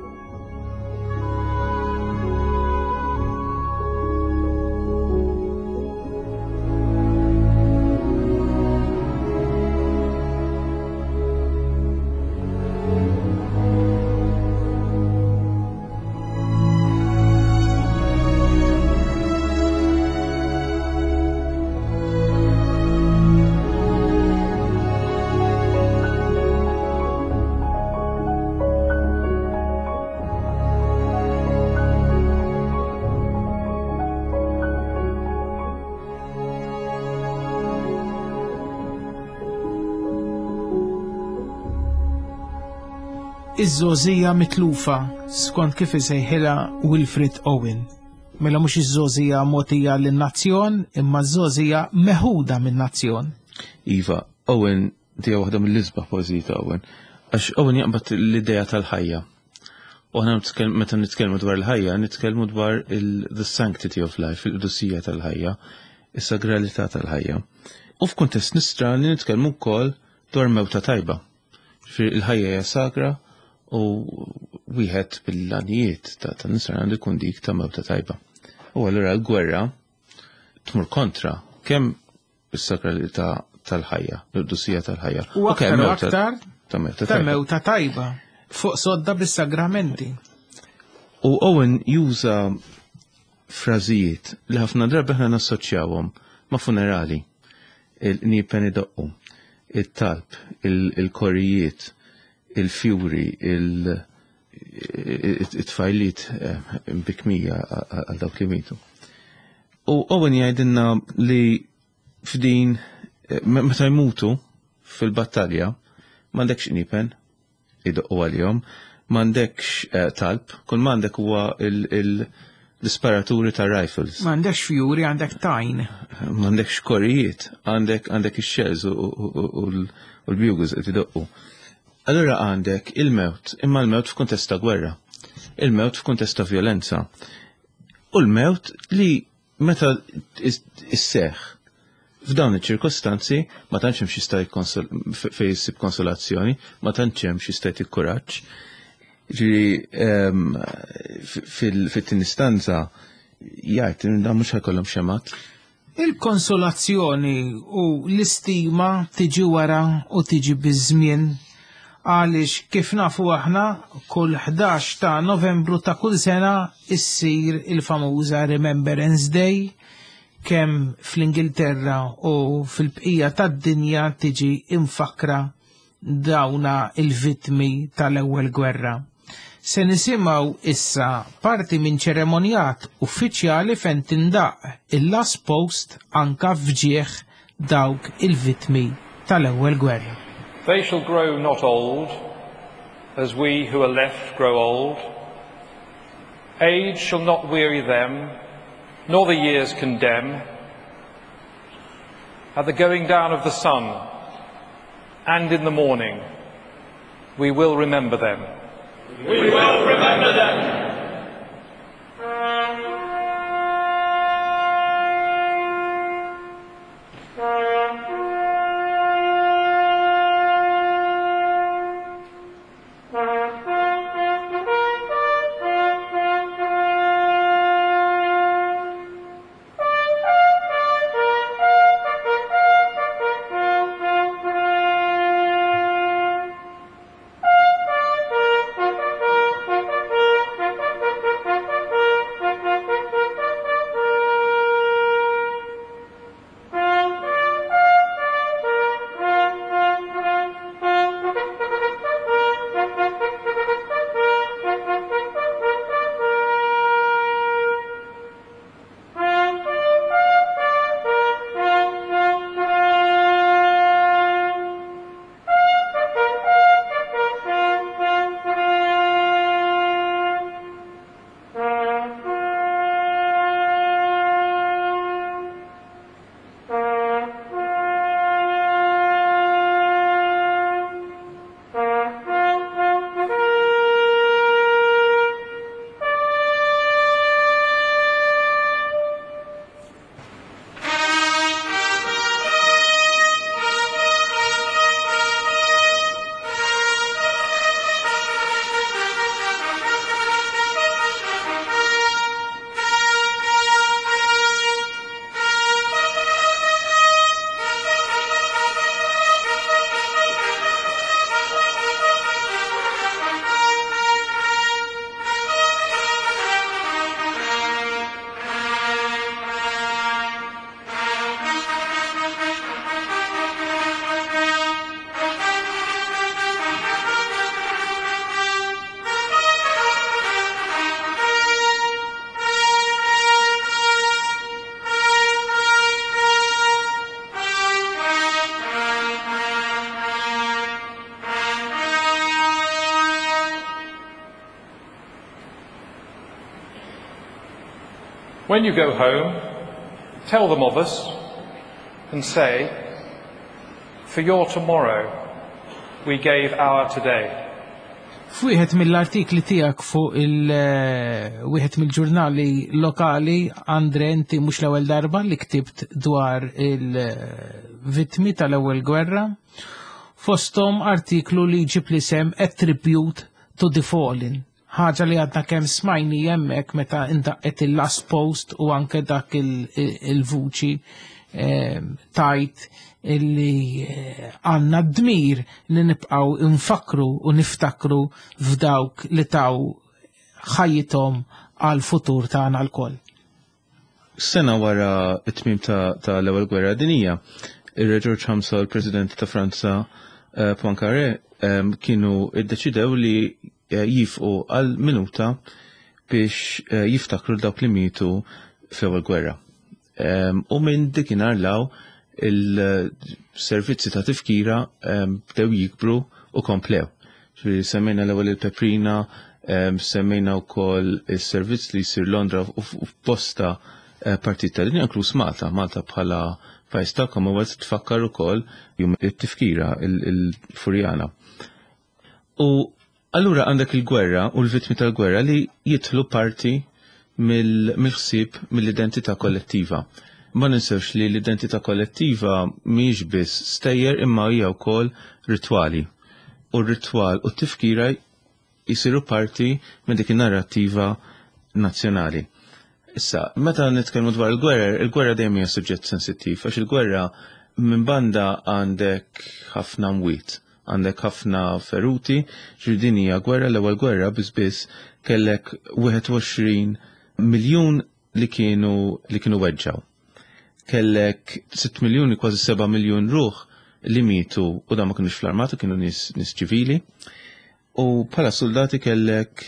Iż-żgħożija mitlufa skont kif isejħilha Wilfred Owen. Mela mhux iż-żgħożija mogħtija lin-nazzjon, imma ż-żgħożija meħuda min-nazzjon. Iva, Owen dija waħda mill-isbaħ poeżiji ta' Owen, għax Owen jaqbad l-idea tal-ħajja. U aħna nitkellmu, meta nitkellmu dwar il-ħajja, nitkellmu dwar il-, the sanctity of life, il-qdusija tal-ħajja, is-sagralità tal-ħajja. U f'kuntest nisrani nitkellmu wkoll dwar mewta tajba. Ġifieri il-ħajja hija sagra u wieħed bil-għanijiet ta' ta' nisrani għandu jkun dik ta' mewta tajba. U allura l-gwerra tmur kontra kemm is-sakralità tal-ħajja, l-qdusija tal-ħajja. U aktar kemm u mewta- aktar ta' mewta ta' tajba. mewta tajba fuq sodda bis-sagramenti. U Owen juża frażijiet li ħafna drabi aħna nassoċjawhom ma' funerali. Il-qniepen idoqqu, it-talb, il- il-korijiet, il-fjuri, il- it-tfajliet eh, bikmija għal dawk li mitu. U Owen jgħidilna li f'din eh, meta jmutu fil-battalja m'għandekx qniepen idoqqu għalihom, m'għandekx eh, talb, kull m'għandek huwa il- il- l-isparaturi ta' rifles. M'għandekx fjuri, għandek tajn. M'għandekx korijiet, għandek għandek ix-shells u, u, u, u l- u l-bugles qed idoqqu. Allura għandek il-mewt, imma l-mewt f'kuntest ta' gwerra, il-mewt f'kuntest ta' violenza. U l-mewt li meta is- isseħ f'dawn iċ-ċirkostanzi ma tantx hemm xi jkonsol fejn issib konsolazzjoni, ma tantx hemm xi jista' jtik kuraġġ. Ġifieri ehm, fil- fit-tieni stanza jgħid dan mhux ħajkollhom xemat. Il-konsolazzjoni u l-istima tiġi wara u tiġi biż-żmien għaliex kif nafu aħna kull ħdax ta' Novembru ta' kull sena issir il-famuża Remembrance Day kemm fl-Ingilterra u fil-bqija tad-dinja tiġi imfakra dawna il-vittmi tal-ewwel gwerra. Se nisimgħu issa parti minn ċeremonjat uffiċjali fejn tindaq il-last post anka f'ġieħ dawk il-vittmi tal-ewwel gwerra. They shall grow not old, as we who are left grow old. Age shall not weary them, nor the years condemn. At the going down of the sun, and in the morning, we will remember them. We will remember them. When you go home, tell them of us and say, for your tomorrow, we gave our today. F'wieħed mill-artikli tiegħek fuq il eh, wieħed mill-ġurnali lokali, Andre, inti mhux l-ewwel darba li ktibt dwar il-vittmi tal-ewwel gwerra, fosthom artiklu li ġib l-isem A Tribute to the Fallen. Ħaġa li għadna kemm smajni hemmhekk meta indaqqet il-last post u anke dak il-vuċi eh, tajt illi eh, għanna dmir li nibqaw infakru u niftakru f'dawk li taw ħajjithom għal futur tagħna lkoll. Sena wara it-tmim ta', ta l-ewwel gwerra dinija, ir-Re Ġorġ Ħamsa u l-President ta' Franza eh, Poincaré em, kienu iddeċidew li eh, jieqfu għal minuta biex eh, jiftakru dawk li mietu fl-ewwel gwerra. Em, U minn dikinhar 'l hawn il-servizzi ta' tifkira em, bdew jikbru u komplew. Ġifieri semmejna l-ewwel il-Peprina, em, semmejna wkoll is-servizz li jsir Londra u f- u f'bosta eh, partit tad-dinja, inkluż Malta. Malta bħala pajjiż ta' Commonwealth tfakkar ukoll jum it-tifkira il-Furjana. U allura għandek il-gwerra u l-vittmi tal-gwerra li jidħlu parti mill- mill-ħsieb mill-identità kollettiva. Ma ninsewx li l-identità kollettiva mhijiex biss stejjer imma hija wkoll ritwali. U r-ritwal u t-tifkira jisiru parti minn dik in-narrattiva nazzjonali. Issa, meta nitkellmu dwar il-gwerra, il-gwerra dejjem hija suġġett sensittiv, għax il-gwerra minn banda għandek ħafna mwiet, għandek ħafna feruti, ġifieri din hija gwerra, l-ewwel gwerra biss biss kellek wieħed u għoxrin miljun li kienu li kienu weġġaw. Kellek sitt miljuni, kważi seba' miljun ruħ li mietu u da ma kienux fl-armata, kienu nies nies ċivili. U bħala soldati kellek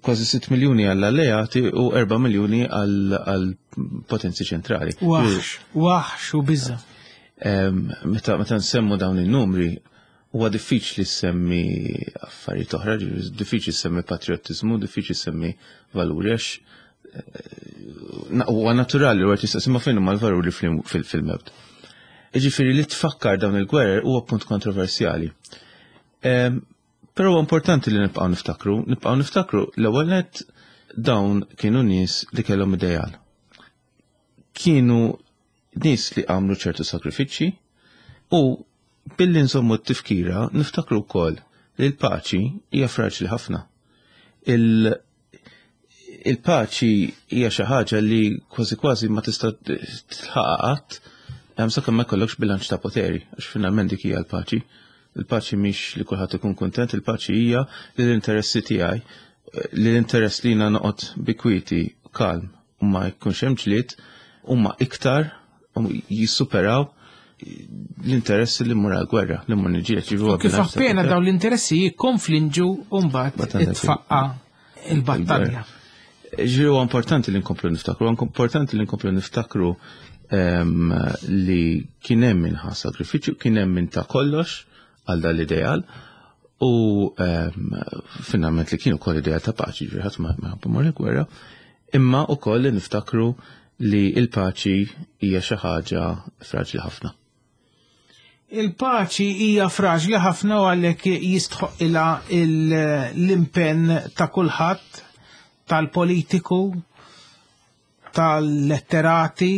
kważi sitt miljuni għall-alleati u erba' miljuni għall-potenzi ċentrali. Waħx, waħx u biża. Em, Meta meta nsemmu dawn il-numri, huwa diffiċli semmi affarijiet oħra, ġifieri diffiċli semmi patriotizmu, diffiċli semmi valuri, għax eh, na- huwa naturali li wieħed jistaqsi ma fejn huma l-valuri fil- fil- fil-mewt. Ġifieri li tfakkar dawn il-gwerer huwa punt kontroversjali. Em, Però huwa importanti li nibqgħu niftakru, nibqgħu niftakru l-ewwel nett dawn kienu nies li kellhom ideal. Kienu nies li għamlu ċertu sakrifiċċji u billi nżommu t-tifkira niftakru wkoll li l-paċi hija fraġli ħafna. Il- Il-paċi hija xi ħaġa li kważi kważi ma tista' tilħaqha qatt hemm sakemm ma jkollokx bilanċ ta' poteri, għax finalment dik hija l-paċi. Il-paċi mhix li kulħadd ikun kuntent, il-paċi hija li l-interessi tiegħi, li l-interess li jiena noqgħod bi kwieti kalm u ma jkunx hemm ġlied huma iktar u jissuperaw l-interessi li mmur għal-gwerra, li mmur niġġieled. Ġifieri huwa Kif bilanċ ta' appena poter. dawn l-interessi jikkonflinġu u mbagħad Mbagħad għandek itfaqqa il-battalja. Ġifieri huwa importanti li nkomplu niftakru, huwa importanti li nkomplu niftakru em, li kien hemm min ħa sagrifiċċju, kien hemm min ta kollox għal dal-ideal u em, finalment li kienu kol ideal ta' paċi, ġifieri ħadd ma ma ħabb imur il-gwerra, imma wkoll li niftakru li il-paċi hija xi ħaġa fraġli ħafna. Il-paċi hija fraġli ħafna u għalhekk jistħoqilha l-impenn ta' kulħadd, tal-politiku, tal-letterati,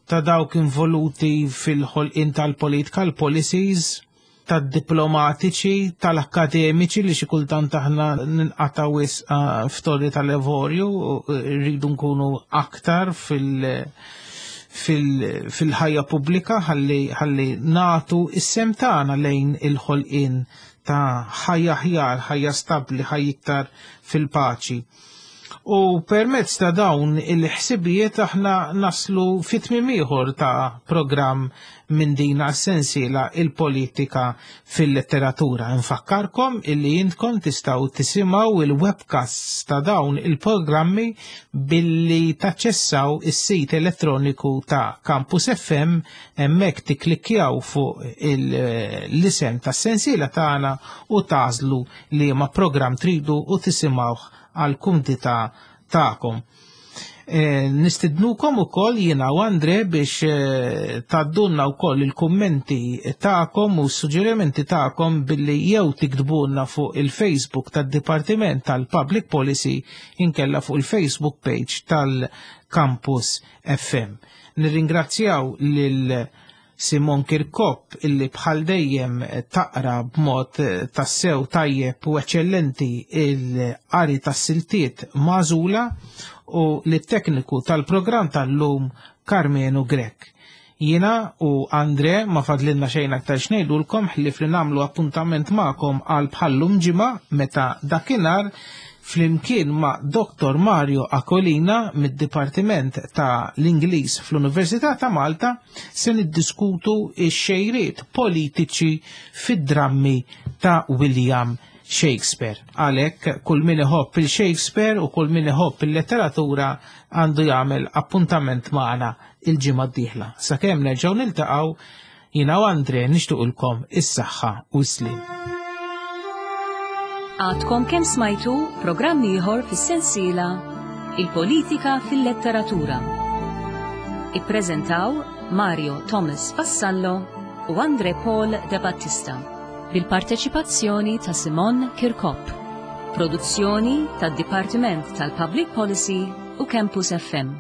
ta' dawk involuti fil-ħolqien tal-politika, l-policies, tad-diplomatiċi, tal-akademiċi li xi kultant aħna ninqata' wisq f'torri tal-avorju, u rridu nkunu aktar fil- fil- fil-ħajja pubblika ħalli ħalli nagħtu is-sehem tagħna lejn il-ħolqien ta' ħajja aħjar, ħajja stabbli, ħajja iktar fil-paċi. U permezz ta' dawn il-ħsibijiet aħna naslu fi tmiem ieħor ta' programm minn din sensiela il-politika fil-letteratura. Nfakkarkom illi intkom tistgħu tisimgħu il-webcasts ta' dawn il-programmi billi taċċessaw is-sit elettroniku ta' Campus F M, hemmhekk tikklikkjaw fuq l-isem tas-sensiela tagħna u tagħżlu liema programm tridu u tisimgħuh għal kumdità tagħkom. Eh, nistidnukom ukoll jiena u Andre biex eh, tgħaddulna wkoll il-kummenti tagħkom u s-suġġerimenti tagħkom billi jew tiktbulna fuq il-Facebook tad-Dipartiment tal-Public Policy inkella fuq il-Facebook page tal-Campus F M. Nirringrazzjaw lil Simon Kirkop illi bħal dejjem taqra b'mod tassew tajjeb u eċċellenti il-qari tas-siltiet magħżula u lit-tekniku tal-programm tal-lum, Carmenu Grek. Jiena u Andre ma fadlilna xejn aktar x'ngħidulkom ħlief li nagħmlu appuntament magħkom għal bħallum ġimgħa, meta dakinhar flimkien ma' Doktor Mario Akolina mid-Dipartiment ta' l-Ingliż fl-Università ta' Malta se niddiskutu x-xejriet politiċi fid-drammi ta' William Shakespeare. Għalhekk kull min iħobb il-Shakespeare u kull min iħobb il-letteratura għandu jagħmel appuntament magħna il-ġimgħa d-dieħla. Sakemm nerġgħu niltaqgħu, jiena u Andre nixtiequlkom is-saħħa u s-slim. Għadkom kemm smajtu programm ieħor fis-sensiela Il-Politika fil-Letteratura. Ippreżentaw Mario Thomas Vassallo u Andre Paul De Battista bil-parteċipazzjoni ta' Simon Kirkop. Produzzjoni tad-Dipartiment tal-Public Policy u Campus F M.